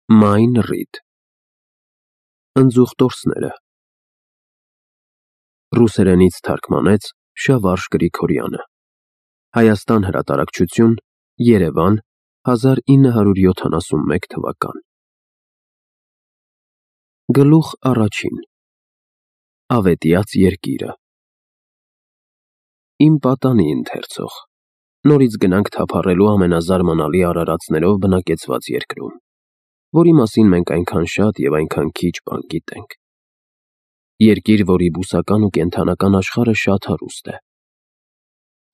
Մայն Ռիդ Ընձուղտորսները Ռուսերենից թարգմանեց Շավարժ Գրիգորյանը Հայաստան հրատարակչություն Երևան 1971 թվական Գլուխ առաջին Ավետյաց երկիրը Իմ պատանի ընթերցող Նորից գնանք թափառելու ամենազարմանալի արարածներով բնակեցված երկրում որի մասին մենք այնքան շատ և այնքան քիչ բան գիտենք։ Երկիր, որի բուսական ու կենդանական աշխարհը շատ հարուստ է։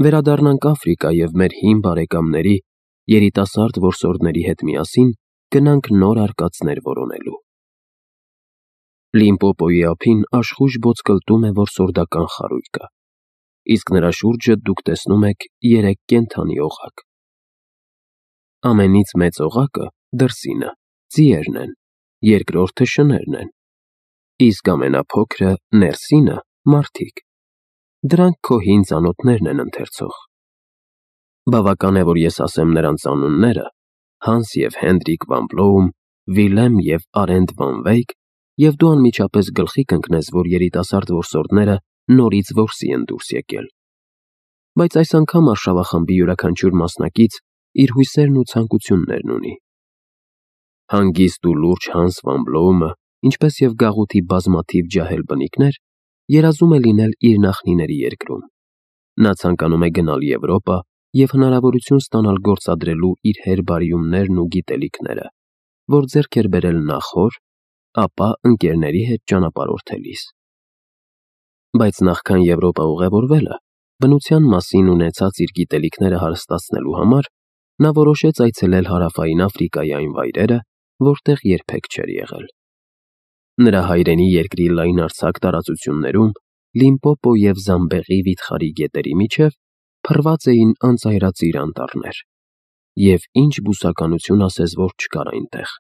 Վերադառնանք Աֆրիկա և մեր հին բարեկամների, երիտասարդ որսորդների հետ միասին գնանք նոր արկածներ որոնելու։ Լիմպոպոյի ափին աշխույժ ոսկլտում է որսորդական խարույկը, իսկ նրա շուրջը դուք տեսնում եք 3 կենդանի օղակ։ Ամենից մեծ օղակը դրսինը, ձիերն են, երկրորդը շներն են, իսկ ամենափոքրը ներսինը մարդիկ։ Դրանք քո հին ծանոթներն են ընթերցող։ Բավական է, որ ես ասեմ նրանց անունները՝ Հանս և Հենրիկ վան Բլոում, Վիլեմ և Արենտ վան Վեյք, և դու անմիջապես գլխի կընկնես, որ երիտասարդ որսորդները նորից որսի են դուրս եկել։ Բայց այս անգամ արշավախմբի յուրաքանչյուր մասնակից իր հույսերն ու ցանկություններն ունի։ Հանգիստ ու լուրջ Հանս վան Բլոումը, ինչպես և գաղութի բազմաթիվ ջահել բնիկներ, երազում է լինել իր նախնիների երկրում։ Նա ցանկանում է գնալ Եվրոպա և հնարավորություն ստանալ գործադրելու իր հերբարիումներն ու գիտելիքները, որ ձեռք էր բերել նախոր, ապա ընկերների հետ ճանապարհորդելիս։ Բայց նախքան Եվրոպա ուղևորվելը, բնության մասին ունեցած իր գիտելիքները հարստացնելու համար, նա որոշեց այցելել Հարավային Աֆրիկայի այն վայրերը, որտեղ երբեք չէր եղել։ Նրա հայրենի երկրի լայնարձակ տարածություններում, Լիմպոպո և Զամբեղի վիթխարի գետերի միջև փռված էին անծայրածիր անտառներ, և ինչ բուսականություն ասես, որ չկար այնտեղ։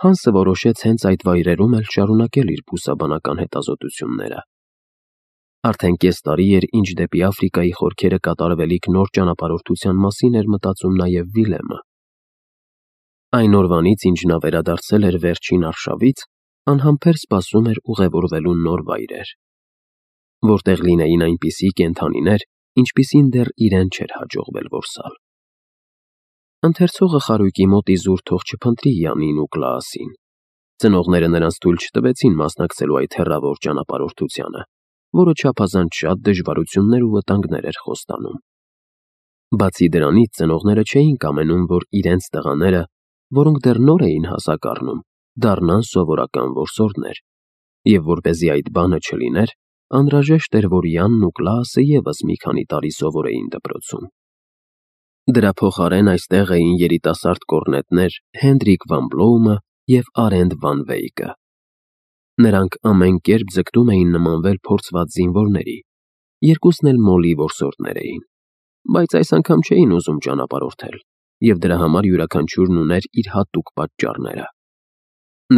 Հանսը որոշեց հենց այդ վայրերում էլ շարունակել իր բուսաբանական հետազոտությունները։ Արդեն կես տարի էր, ինչ դեպի Աֆրիկայի խորքերը կատարվելիք նոր ճանապարհորդության մասին էր մտածում նաև Վիլեմը։ Այն օրվանից, ինչ նա վերադարձել էր վերջին արշավից, անհամբեր սպասում էր ուղևորվելու նոր վայրեր, որտեղ լինեին այնպիսի կենդանիներ, ինչպիսին դեռ իրեն չէր հաջողվել որսալ։ Ընթերցողը խարույկի մոտ իզուր թող չփնտրի Յանին ու Կլաասին։ Ծնողները նրանց թույլ չտվեցին մասնակցելու այդ հեռավոր ճանապարհորդությանը, որը չափազանց շատ դժվարություններ ու վտանգներ էր խոստանում։ Բացի դրանից, ծնողները չէին կամենում, որ իրենց տղաները, որոնք դեռ նոր էին հասակ առնում, դառնան սովորական որսորդներ, և որպեսզի այդ բանը չլիներ, անհրաժեշտ էր, որ Յանն ու Կլաասը ևս մի քանի տարի սովորեին դպրոցում։ Դրա փոխարեն այստեղ էին երիտասարդ կոռնետներ Հենրիկ վան Բլոումը և Արենտ վան Վեյկը։ Նրանք ամեն կերպ ձգտում էին նմանվել փորձված զինվորների, երկուսն էլ մոլի որսորդներ էին, բայց այս անգամ չէին ուզում ճանապարհորդել, և դրա համար յուրաքանչյուրն ուներ իր հատուկ պատճառները։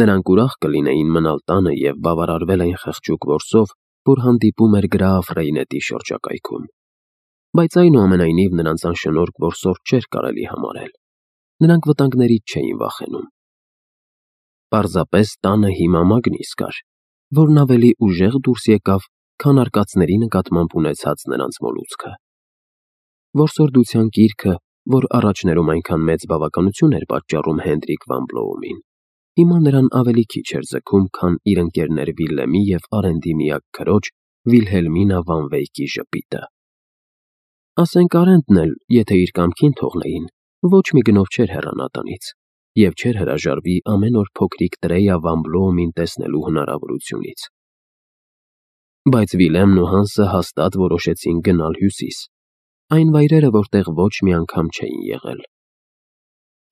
Նրանք ուրախ կլինեին մնալ տանը և բավարարվել այն խղճուկ որսով, որ հանդիպում էր Գրաաֆ Ռեյնետի շրջակայքում, բայց այնուամենայնիվ նրանց անշնորհք որսորդ չէր կարելի համարել։ Նրանք վտանգներից չէին վախենում։ Պարզապես տանը հիմա Մագնիս կար, որն ավելի ուժեղ դուրս եկավ, քան արկածների նկատմամբ ունեցած նրանց մոլուցքը։ Որսորդության կիրքը, որ առաջներում այնքան մեծ բավականություն էր պատճառում Հենրիկ վան Բլոումին, հիմա նրան ավելի քիչ էր ձգում, քան իր ընկերներ Վիլեմի և Արենտի միակ քրոջ Վիլհելմինա վան Վեյկի ժպիտը։ Ասենք Արենտն էլ, եթե իր կամքին թողնեին, ոչ մի գնով չէր հեռանա տնից և չէր հրաժարվի ամեն օր փոքրիկ Տրեյա վան Բլոումին տեսնելու հնարավորությունից։ Բայց Վիլեմն ու Հանսը հաստատ որոշեցին գնալ հյուսիս, այն վայրերը, որտեղ ոչ մի անգամ չէին եղել։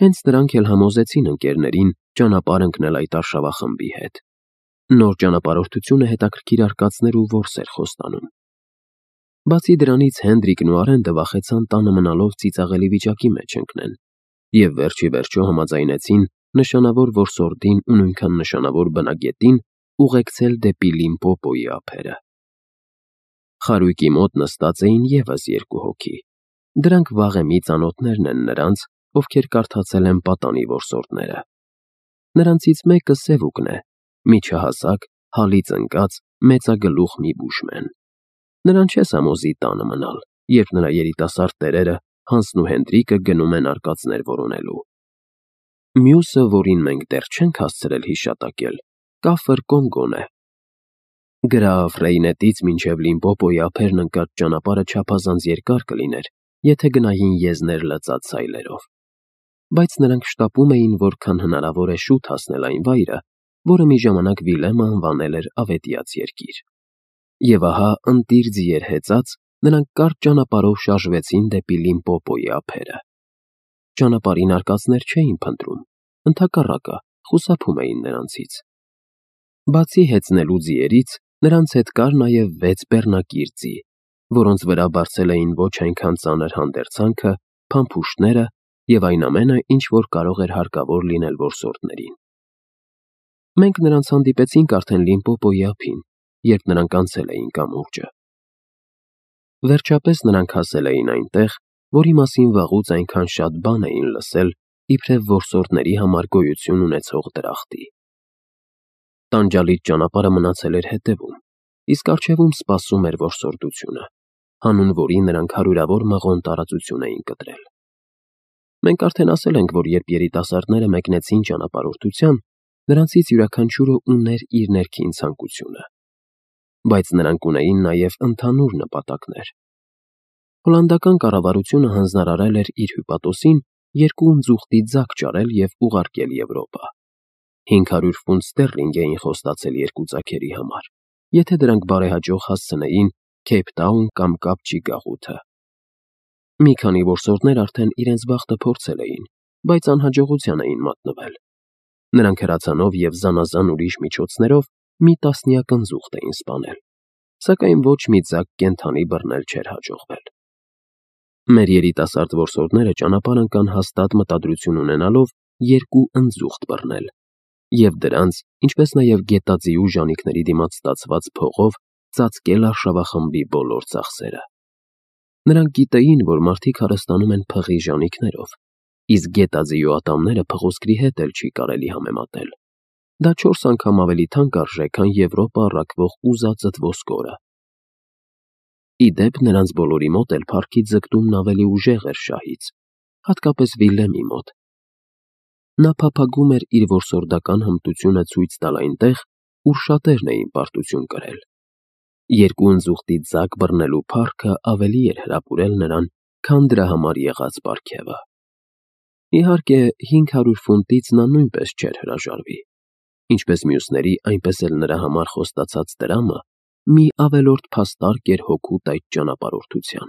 Հենց նրանք էլ համոզեցին ընկերներին ճանապարհ ընկնել այդ արշավախմբի հետ։ Նոր ճանապարհորդությունը հետաքրքիր արկածներ ու որս էր խոստանում։ Բացի դրանից Հենրիկն ու Արենտը վախեցան տանը մնալով ծիծաղելի վիճակի մեջ ընկնեն, և վերջիվերջո համաձայնեցին նշանավոր որսորդին ու նույնքան նշանավոր բնագետին ուղեկցել դեպի Լիմպոպոյի ափերը։ Խարույկի մոտ նստած էին ևս 2 հոգի։ Դրանք վաղեմի ծանոթներն են նրանց, ովքեր կարդացել են պատանի որսորդները։ Նրանցից մեկը Սևուկն է, միջահասակ, հալից ընկած, մեծագլուխ մի բուժմեն։ Նրան չես համոզի տանը մնալ, երբ նրա երիտասարդ տերերը Հանսն ու Հենդրիկը գնում են արկածներ որոնելու։ Մյուսը, որին մենք դեռ չենք հասցրել հիշատակել, Կաֆր Կոնգոն է։ Գրավ Ռեյնետից մինչև Լիմպոպոյի ափերն ընկած ճանապարհը չափազանց երկար կլիներ, եթե գնային եզներ լծած սայլերով։ Բայց նրանք շտապում էին, որքան հնարավոր է շուտ հասնել այն վայրը, որը մի ժամանակ Վիլեմը անվանել էր Ավետյաց երկիր։ Եվ ահա ընտիր ձիեր հեծած, նրանք կարճ ճանապարհով շարժվեցին դեպի Լիմպոպոյի ափերը։ Ճանապարհին արկածներ չէին փնտրում, ընդհակառակը խուսափում էին նրանցից։ Բացի հեծնելու ձիերից, նրանց հետ կար նաև 6 բեռնակիր ձի, որոնց վրա բարձել էին ոչ այնքան ծանր հանդերձանքը, փամփուշտները և այն ամենը, ինչ որ կարող էր հարկավոր լինել որսորդներին։ Մենք նրանց հանդիպեցինք արդեն Լիմպոպոյի ափին, երբ նրանք անցել էին կամուրջը։ Վերջապես նրանք հասել էին այնտեղ, որի մասին վաղուց այնքան շատ բան էին լսել, իբրև որսորդների համար գոյություն ունեցող դրախտի։ Տանջալից ճանապարհը մնացել էր հետևում, իսկ առջևում սպասում էր որսորդությունը, հանուն որի նրանք հարյուրավոր մղոն տարածություն էին կտրել։ Մենք արդեն ասել ենք, որ երբ երիտասարդները մեկնեցին ճանապարհորդության, նրանցից յուրաքանչյուրը ուներ իր ներքին ցանկությունը։ Բայց նրանք ունեին նաև ընդհանուր նպատակներ։ Հոլանդական կառավարությունը հանձնարարել էր իր հյուպատոսին 2 ընձուղտի ձակ ճարել և ուղարկել Եվրոպա։ 500 ֆունտ ստերլինգ էին խոստացել 2 ձագերի համար, եթե դրանք բարեհաջող հասցնեին Քեյփթաուն կամ Կապչի գաղութը։ Մի քանի որսորդներ արդեն իրենց բախտը փորձել էին, բայց անհաջողության էին մատնվել։ Նրանք հրացանով և զանազան ուրիշ միջոցներով մի տասնյակ ընձուղտ էին սպանել, սակայն ոչ մի ձագ կենդանի բռնել չէր հաջողվել։ Մեր երիտասարդ որսորդները ճանապարհ ընկան հաստատ մտադրություն ունենալով 2 ընձուղտ բռնել և դրանց, ինչպես նաև գետաձիու ժանիքների դիմաց ստացված փողով ծածկել արշավախմբի բոլոր ծախսերը։ Նրանք գիտեին, որ մարդիկ հարստանում են փղի ժանիքներով, իսկ գետաձիու ատամները փղոսկրի հետ էլ չի կարելի համեմատել։ Դա 4 անգամ ավելի թանկ արժե, քան Եվրոպա առաքվող ուզածդ ոսկորը։ Ի դեպ, նրանց բոլորի մոտ էլ փառքի ձգտումն ավելի ուժեղ էր շահից, հատկապես Վիլեմի մոտ։ Նա փափագում էր իր որսորդական հմտությունը ցույց տալ այնտեղ, ուր շատերն էին պարտություն կրել։ 2 ընձուղտի ձակ բռնելու փառքը ավելի էր հրապուրել նրան, քան դրա համար եղած պարգևը։ Իհարկե, 500 ֆունտից նա նույնպես չէր հրաժարվի։ Ինչպես մյուսների, այնպես էլ նրա համար խոստացած տրամը մի ավելորդ փաստարկ էր հօգուտ այդ ճանապարհորդության։